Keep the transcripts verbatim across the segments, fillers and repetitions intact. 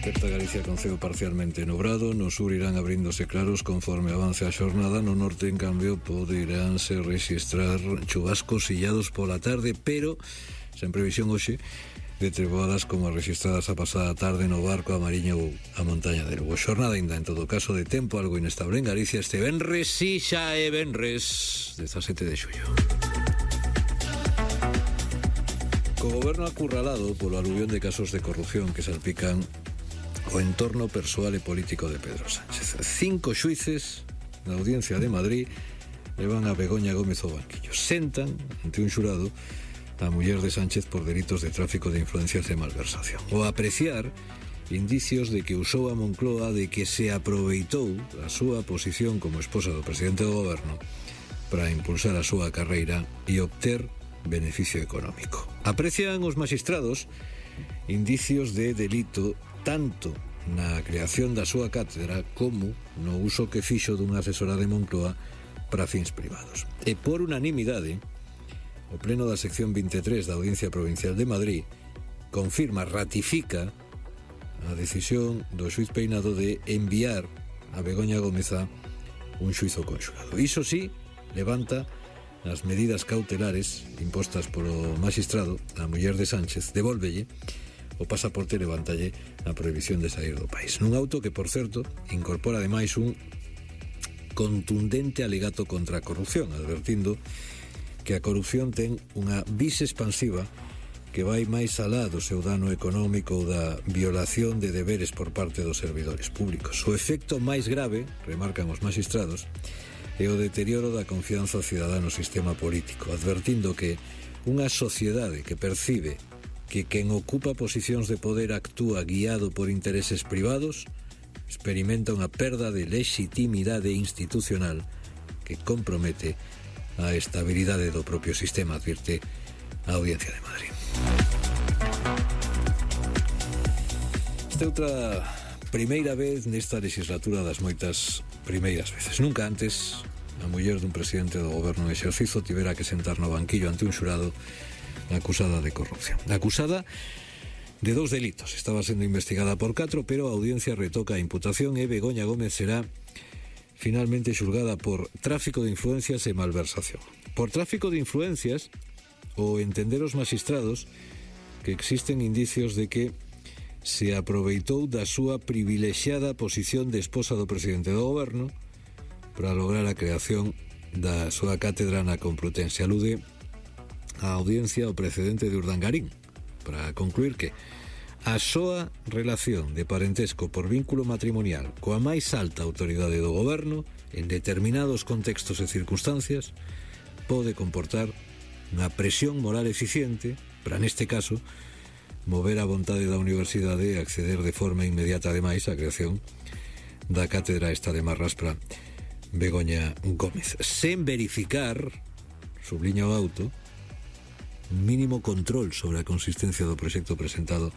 Desperta Galicia con ceo parcialmente nubrado. No sur irán abríndose claros conforme avance a xornada. No norte, en cambio, poderánse rexistrar chubascos illados pola tarde, pero sen previsión hoxe de treboadas como as registradas a pasada tarde no Barco, a Mariña ou a Montaña de Lugo. Xornada ainda, en todo caso, de tempo algo inestable en Galicia este venres, si xa é venres, dezasete de xullo. Co goberno acurralado polo aluvión de casos de corrupción que salpican o entorno persoal e político de Pedro Sánchez. Cinco xuíces na Audiencia de Madrid levan a Begoña Gómez ao banquillo. Sentan ante un xurado a muller de Sánchez por delitos de tráfico de influencias e malversación. O apreciar indicios de que usou a Moncloa, de que se aproveitou a súa posición como esposa do presidente do goberno para impulsar a súa carreira e obter beneficio económico. Aprecian os magistrados indicios de delito tanto na creación da súa cátedra como no uso que fixo dunha asesora de Moncloa para fins privados. E por unanimidade, o pleno da sección vinte e tres da Audiencia Provincial de Madrid confirma, ratifica a decisión do xuiz Peinado de enviar a Begoña Gómez a un xuizo conxugado. Iso sí, levanta as medidas cautelares impostas polo magistrado a muller de Sánchez, devólvelle o pasaporte e levantalle a prohibición de sair do país. Nun auto que, por certo, incorpora ademais un contundente alegato contra a corrupción, advertindo que a corrupción ten unha vis expansiva que vai máis alá do seu dano económico ou da violación de deberes por parte dos servidores públicos. O efecto máis grave, remarcan os magistrados, é o deterioro da confianza cidadá no sistema político, advertindo que unha sociedade que percibe que quen ocupa posicións de poder actúa guiado por intereses privados experimenta unha perda de legitimidade institucional que compromete a estabilidade do propio sistema, advirte a Audiencia de Madrid. Esta outra primeira vez nesta legislatura das moitas primeiras veces. Nunca antes a muller dun presidente do goberno en exercizo tivera que sentar no banquillo ante un xurado acusada de corrupción. Acusada de dous delitos. Estaba sendo investigada por catro, pero a audiencia retoca a imputación e Begoña Gómez será finalmente xulgada por tráfico de influencias e malversación. Por tráfico de influencias, o entender os magistrados que existen indicios de que se aproveitou da súa privilexiada posición de esposa do presidente do goberno para lograr a creación da súa cátedra na Complutense. Alude a audiencia o precedente de Urdangarín para concluir que a súa relación de parentesco por vínculo matrimonial coa máis alta autoridade do goberno en determinados contextos e circunstancias pode comportar unha presión moral eficiente para, neste caso, mover a vontade da universidade e acceder de forma inmediata, ademais, á creación da cátedra esta de Marras para Begoña Gómez, sen verificar, subliña o auto, un mínimo control sobre a consistencia do proxecto presentado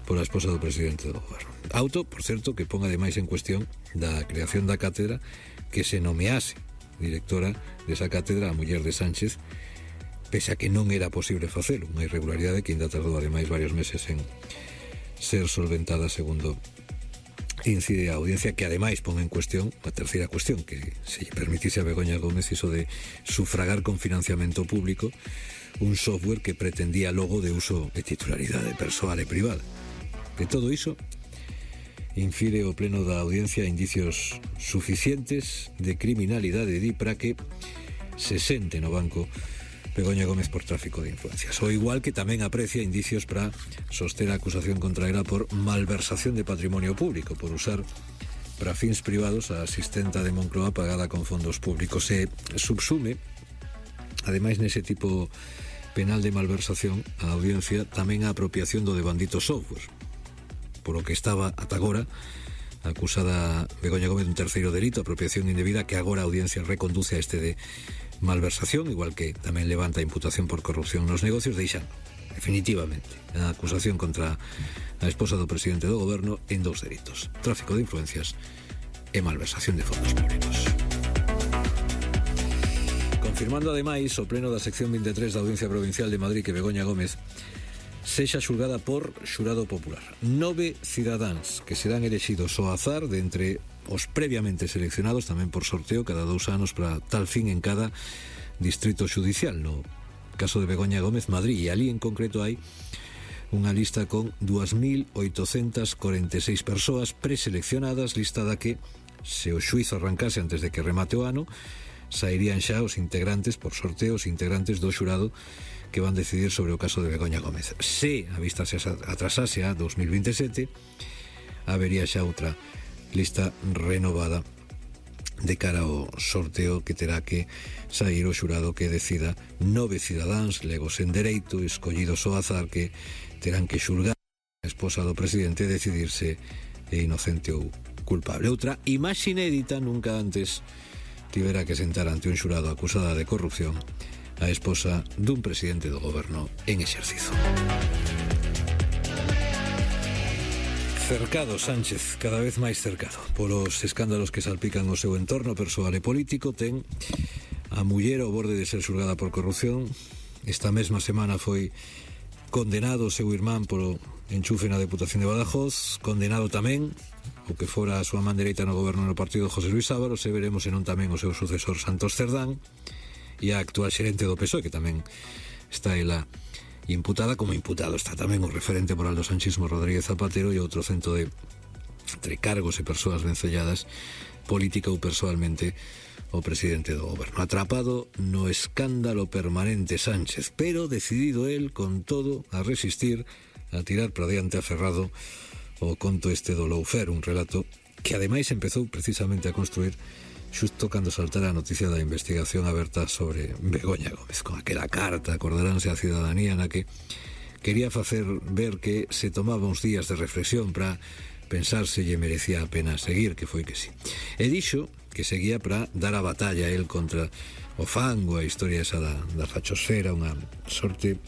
pola esposa do presidente do goberno. Auto, por certo, que pon ademais en cuestión da creación da cátedra que se nomease directora desa cátedra a muller de Sánchez, pese a que non era posible facelo, unha irregularidade que ainda tardou ademais varios meses en ser solventada, segundo incide a audiencia, que ademais pon en cuestión a terceira cuestión, que se lle permitise a Begoña Gómez iso de sufragar con financiamento público un software que pretendía logo de uso de titularidade persoal e privada. De todo iso infire o pleno da audiencia indicios suficientes de criminalidade di para que se sente no banco Begoña Gómez por tráfico de influencias. O igual que tamén aprecia indicios para soster a acusación contra ela por malversación de patrimonio público, por usar para fins privados a asistenta de Moncloa pagada con fondos públicos. Se subsume, ademais nese tipo penal de malversación, a audiencia tamén a apropiación do devandito software, por o que estaba ata agora acusada Begoña Gómez dun terceiro delito, apropiación indebida, que agora a audiencia reconduce a este de malversación, igual que tamén levanta a imputación por corrupción nos negocios, deixando definitivamente a acusación contra a esposa do presidente do goberno en dous delitos: tráfico de influencias e malversación de fondos públicos. Confirmando ademais o pleno da sección vinte e tres da Audiencia Provincial de Madrid que Begoña Gómez sexa xulgada por xurado popular. Nove cidadáns que serán elexidos ao azar de entre os previamente seleccionados, tamén por sorteo, cada dous anos para tal fin en cada distrito xudicial. No caso de Begoña Gómez, Madrid, e ali en concreto hai unha lista con dúas mil oitocentas corenta e seis persoas preseleccionadas, lista da que, se o xuizo arrancase antes de que remate o ano, sairían xa os integrantes, por sorteo, os integrantes do xurado que van decidir sobre o caso de Begoña Gómez. Se a vista se atrasase a dos mil veintisiete, habería xa outra lista renovada de cara ao sorteo que terá que sair o xurado que decida nove cidadáns legos en dereito escollidos ao azar que terán que xulgar a esposa do presidente e decidirse é inocente ou culpable. Outra imaxe inédita, nunca antes tivera que sentar ante un xurado acusada de corrupción a esposa dun presidente do goberno en exercizo. Cercado Sánchez, cada vez máis cercado polos escándalos que salpican o seu entorno persoal e político. Ten a muller ao borde de ser xulgada por corrupción. Esta mesma semana foi condenado o seu irmán polo enchufe na Deputación de Badajoz, condenado tamén o que fora a súa man dereita no goberno no partido José Luis Ábalos, e veremos senón tamén o seu sucesor Santos Cerdán e a actual xerente do P S O E, que tamén está ela imputada. Como imputado está tamén o referente moral do sanchismo Rodríguez Zapatero e outro cento de entre cargos e persoas vencelladas política ou persoalmente o presidente do goberno. Atrapado no escándalo permanente Sánchez, pero decidido el, con todo, a resistir, a tirar para diante aferrado o conto este do Lawfare, un relato que ademais empezou precisamente a construir xusto cando saltara a noticia da investigación aberta sobre Begoña Gómez, con aquela carta, acordaránse a cidadanía, na que quería facer ver que se tomaba uns días de reflexión para pensar se lle merecía a pena seguir, que foi que sí. E dixo que seguía para dar a batalla el contra o fango, a historia esa da, da fachosfera, unha sorte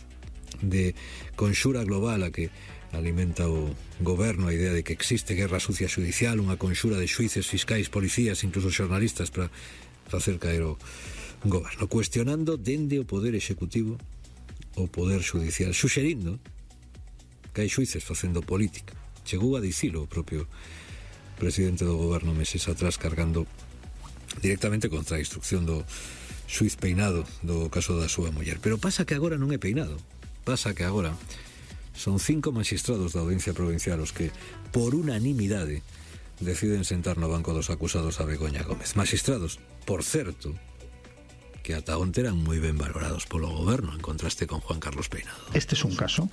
de conxura global a que alimenta o goberno, a idea de que existe guerra sucia judicial, unha conxura de xuíces, fiscais, policías, incluso xornalistas para facer caer o goberno, cuestionando dende o poder executivo o poder judicial, suxerindo que hai xuíces facendo política. Chegou a dicilo o propio presidente do goberno meses atrás, cargando directamente contra a instrucción do xuiz Peinado do caso da súa muller. Pero pasa que agora non é Peinado, pasa que agora son cinco magistrados da Audiencia Provincial os que, por unanimidade, deciden sentar no banco dos acusados a Begoña Gómez. Magistrados, por certo, que ata onte eran moi ben valorados polo goberno, en contraste con Juan Carlos Peinado. Este es un caso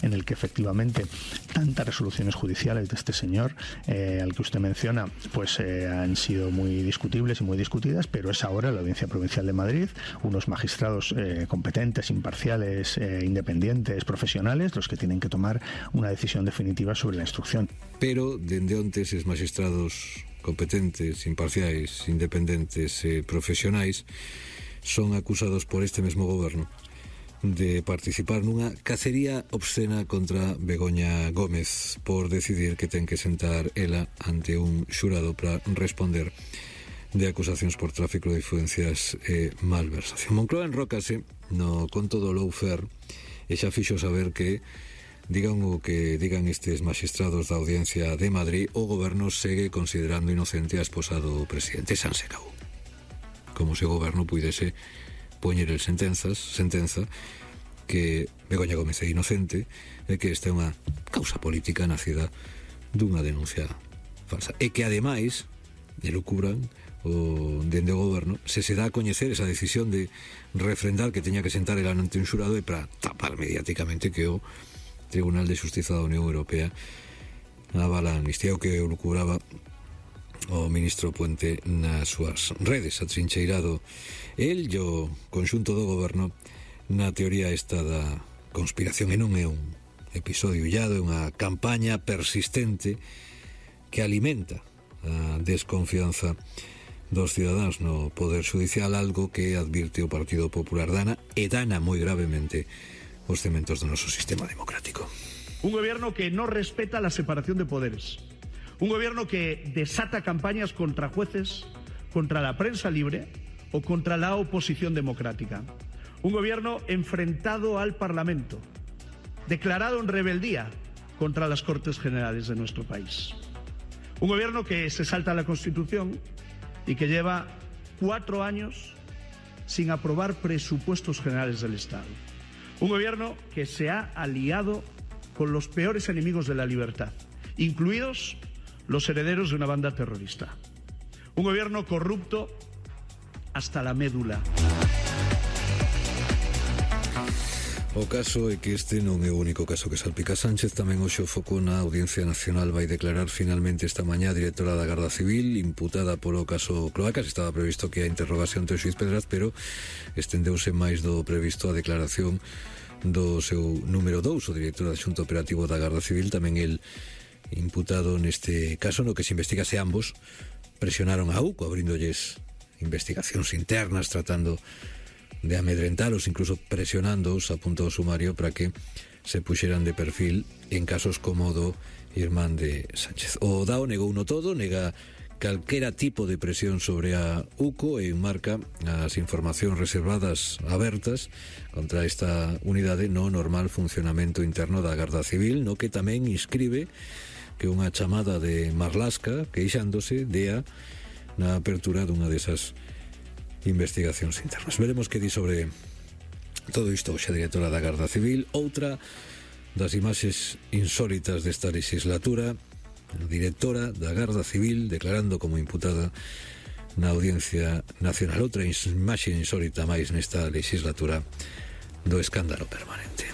en el que efectivamente tantas resoluciones judiciales de este señor, eh, al que usted menciona, pues eh, han sido muy discutibles y muy discutidas, pero es ahora la Audiencia Provincial de Madrid, unos magistrados eh, competentes, imparciales, eh, independientes, profesionales, los que tienen que tomar una decisión definitiva sobre la instrucción. Pero, dende onte, eses magistrados competentes, imparciais, independentes e profesionais son acusados por este mesmo goberno de participar nunha cacería obscena contra Begoña Gómez por decidir que ten que sentar ela ante un xurado para responder de acusacións por tráfico de influencias e malversación. Moncloa enrócase no conto do Lawfare e xa fixo saber que, digan o que digan estes magistrados da Audiencia de Madrid, o goberno segue considerando inocente a esposa do presidente. San se acabou. Como se o goberno puidese poñer el sentenzas, sentenza que Begoña Gómez é inocente e que esta é unha causa política nacida dunha denuncia falsa. E que ademais elucubran o dende o goberno se se dá a coñecer esa decisión de refrendar que teña que sentar el ante un xurado e para tapar mediáticamente que o Tribunal de Xustiza da Unión Europea avala a amnistía, o que elucubraba o ministro Puente nas súas redes, atrincheirado el e o conxunto do goberno na teoría esta da conspiración. E non é un episodio illado, é unha campaña persistente que alimenta a desconfianza dos cidadáns no poder judicial, algo que advirte o Partido Popular dana e dana moi gravemente os cementos do noso sistema democrático. Un gobierno que no respeta la separación de poderes. Un gobierno que desata campañas contra jueces, contra la prensa libre o contra la oposición democrática. Un gobierno enfrentado al Parlamento, declarado en rebeldía contra las Cortes Generales de nuestro país. Un gobierno que se salta la Constitución y que lleva cuatro años sin aprobar presupuestos generales del Estado. Un gobierno que se ha aliado con los peores enemigos de la libertad, incluidos los herederos de una banda terrorista. Un gobierno corrupto hasta la médula. O caso é que este non é o único caso que salpica Sánchez. Tamén hoxe o foco na Audiencia Nacional vai declarar finalmente esta mañá a directora da Garda Civil imputada polo caso Cloacas. Estaba previsto que a interrogación ante o xuiz Pedraz, pero estendeuse máis do previsto a declaración do seu número dous, o director adxunto operativo da Garda Civil, tamén el imputado neste caso no que se investiga se ambos presionaron a U C O abrindolles investigacións internas tratando de amedrentalos, incluso presionándoos a punto do sumario para que se puxeran de perfil en casos como o do irmán de Sánchez. O D A O negou no todo, nega calquera tipo de presión sobre a U C O e enmarca as informacións reservadas abertas contra esta unidade no normal funcionamento interno da Garda Civil, no que tamén inscribe que unha chamada de Marlaska queixándose dea na apertura dunha desas investigacións internas. Veremos que di sobre todo isto xa directora da Garda Civil. Outra das imaxes insólitas desta legislatura, a directora da Garda Civil declarando como imputada na Audiencia Nacional. Outra imaxe insólita máis nesta legislatura do escándalo permanente.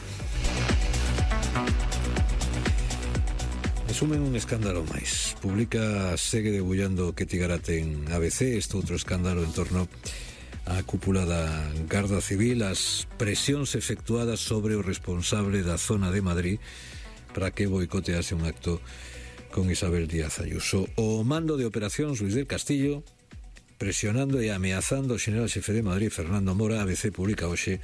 Resumen un escándalo máis. Publica segue debullando que Tigarate en A B C, este outro escándalo en torno á cúpula da Garda Civil, as presións efectuadas sobre o responsable da zona de Madrid para que boicotease un acto con Isabel Díaz Ayuso. O mando de operacións Luis del Castillo presionando e ameazando o general xefe de Madrid Fernando Mora. A B C publica hoxe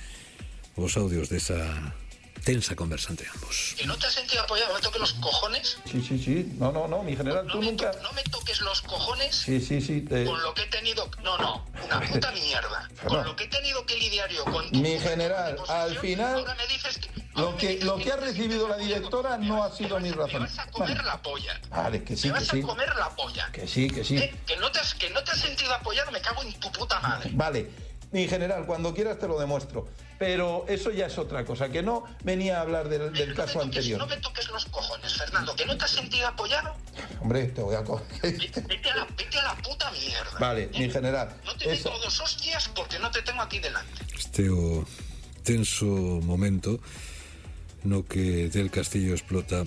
os audios desa tensa conversa entre ambos. ¿Que no te has sentido apoyado? ¿Me toques los cojones? Sí, sí, sí. No, no, no, mi general, no tú me nunca... To- no me toques los cojones. Sí, sí, sí. Te... Con lo que he tenido... No, no, una puta mierda. Con No. lo que he tenido que lidiar yo con tu... Mi general, al final, ahora me dices que... Lo ahora me que, dices lo que ha recibido la directora me no vas- ha sido me mi vas- razón. Me vas a comer Vale. la polla. Vale, que sí, me que vas sí. a comer la polla. Que sí, que sí. ¿Eh? Que no te has, que no te has sentido apoyado, me cago en tu puta madre. Vale, mi general, cuando quieras te lo demuestro. Pero eso ya es otra cosa, que no venía a hablar del, del no caso me toques, anterior. No me toques los cojones, Fernando. ¿Que no te has sentido apoyado? Hombre, te voy a coger. Vete, vete a la, vete a la puta mierda. Vale, ¿eh? mi general. No te Eso. meto dos hostias porque no te tengo aquí delante. Este o tenso momento no que Del Castillo explota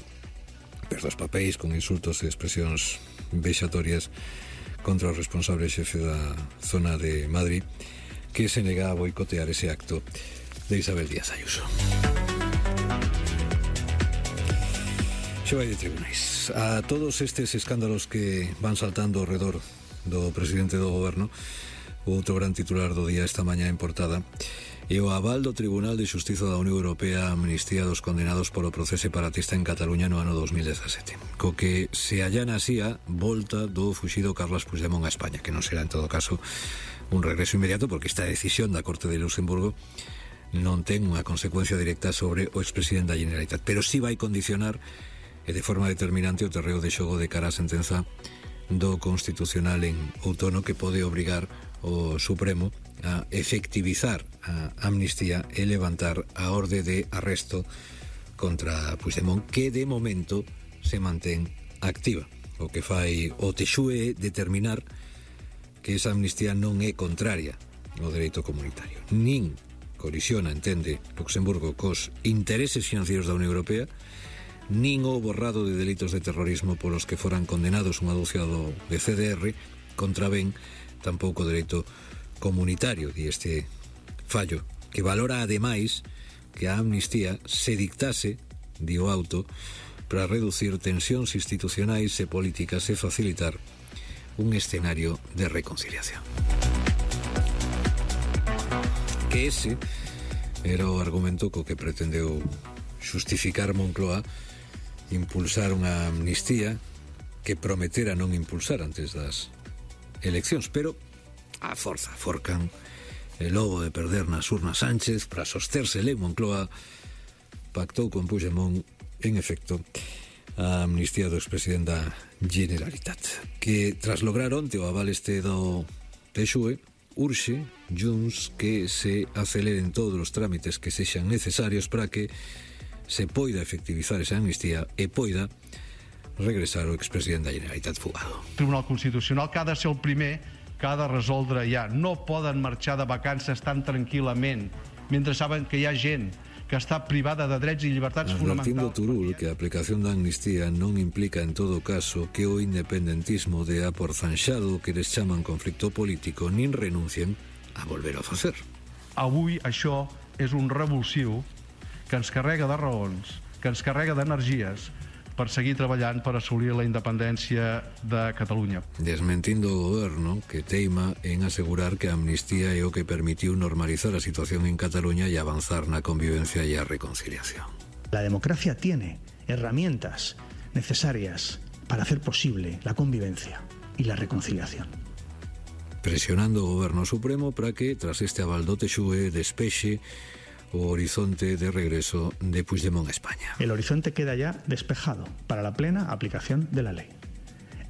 perdos papéis con insultos e expresións vexatorias contra o responsable xefe da zona de Madrid, que se nega a boicotear ese acto de Isabel Díaz Ayuso. Xe vai de tribunais. A todos estes escándalos que van saltando ao redor do presidente do goberno, o outro gran titular do día esta mañá en portada e o aval do Tribunal de Xustiza da Unión Europea a amnistía dos condenados polo proceso separatista en Cataluña no ano dos mil dezasete, co que se allana así a volta do fuxido Carles Puigdemont a España, que non será en todo caso un regreso inmediato, porque esta decisión da Corte de Luxemburgo non ten unha consecuencia directa sobre o expresidente da Generalitat, pero sí vai condicionar e de forma determinante o terreo de xogo de cara á sentenza do Constitucional en outono, que pode obrigar o Supremo a efectivizar a amnistía e levantar a orde de arresto contra Puigdemont, que de momento se mantén activa. O que fai o T X U E é determinar que esa amnistía non é contraria ao dereito comunitario, nin colisiona, entende Luxemburgo, cos intereses financieros da Unión Europea, nin o borrado de delitos de terrorismo polos que foran condenados un aduciado de C D R, contravén tampouco o dereito comunitario, di este fallo, que valora ademais que a amnistía se dictase, di o auto, para reducir tensións institucionais e políticas e facilitar un escenario de reconciliación. Que ese era o argumento co que pretendeu xustificar Moncloa impulsar unha amnistía que prometera non impulsar antes das eleccións, pero a forza forcan el lobo de perder nas urnas Sánchez para sostersele en Moncloa pactou con Puigdemont, en efecto, a amnistía do expresidente da Generalitat, que tras lograr onte o aval este do T X U E, urxe Junts que se aceleren todos os trámites que sexan necesarios para que se poida efectivizar esa amnistía e poida regresar o expresidente da Generalitat fugado. El Tribunal Constitucional que ha de ser el primer que ha de resoldre ja. No poden marxar de vacances tan tranquil·lament mentre saben que hi ha gent que està privada de drets i llibertats fonamentals. fonamentals. Turul que a aplicación da amnistía non implica en todo caso que o independentismo dea por zanxado que les chaman conflicto político nin renuncien a volver a facer. Avui això és un revulsiu que ens carrega de raons, que ens carrega d'energies per seguir treballant per assolir la independència de Catalunya. Desmentindo o goberno que teima en asegurar que a amnistía é o que permitiu normalizar a situación en Cataluña e avanzar na convivencia e a reconciliación. La democracia tiene herramientas necesarias para hacer posible la convivencia y la reconciliación. Presionando o goberno supremo para que, tras este aval do T X U E, despexe o horizonte de regreso de Puigdemont a España. El horizonte queda ya despejado para la plena aplicación de la ley.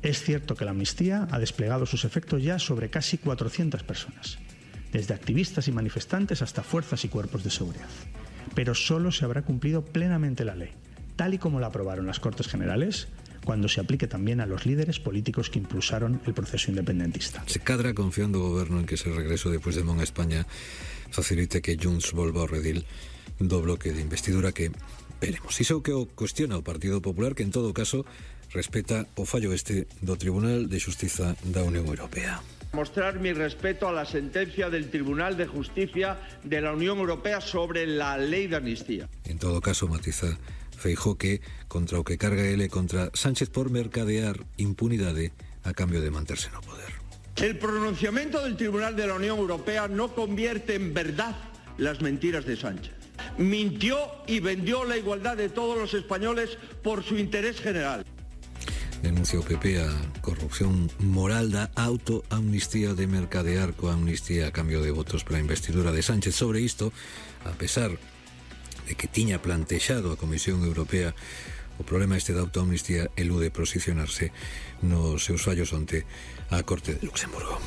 Es cierto que la amnistía ha desplegado sus efectos ya sobre casi cuatrocientas personas, desde activistas y manifestantes hasta fuerzas y cuerpos de seguridad. Pero solo se habrá cumplido plenamente la ley, tal y como la aprobaron las Cortes Generales, cuando se aplique también a los líderes políticos que impulsaron el proceso independentista. Se cadra confiando o goberno en que ese regreso de Puigdemont a España facilite que Junts volva ao redil do bloque de investidura que veremos. Iso que o cuestiona o Partido Popular, que en todo caso respeta o fallo este do Tribunal de Xustiza da Unión Europea. Mostrar mi respeto a la sentencia del Tribunal de Justicia de la Unión Europea sobre la ley de amnistía. En todo caso, matiza Feijóo que contra o que carga ele contra Sánchez por mercadear impunidade a cambio de manterse no poder. El pronunciamiento del Tribunal de la Unión Europea no convierte en verdad las mentiras de Sánchez. Mintió y vendió la igualdad de todos los españoles por su interés general. Denuncia o P P a corrupción moral da autoamnistía de mercadear coa amnistía a cambio de votos para a investidura de Sánchez. Sobre isto, a pesar de que tiña plantexado a Comisión Europea o problema este da autoamnistía, elude posicionarse nos seus fallos onte á Corte de Luxemburgo.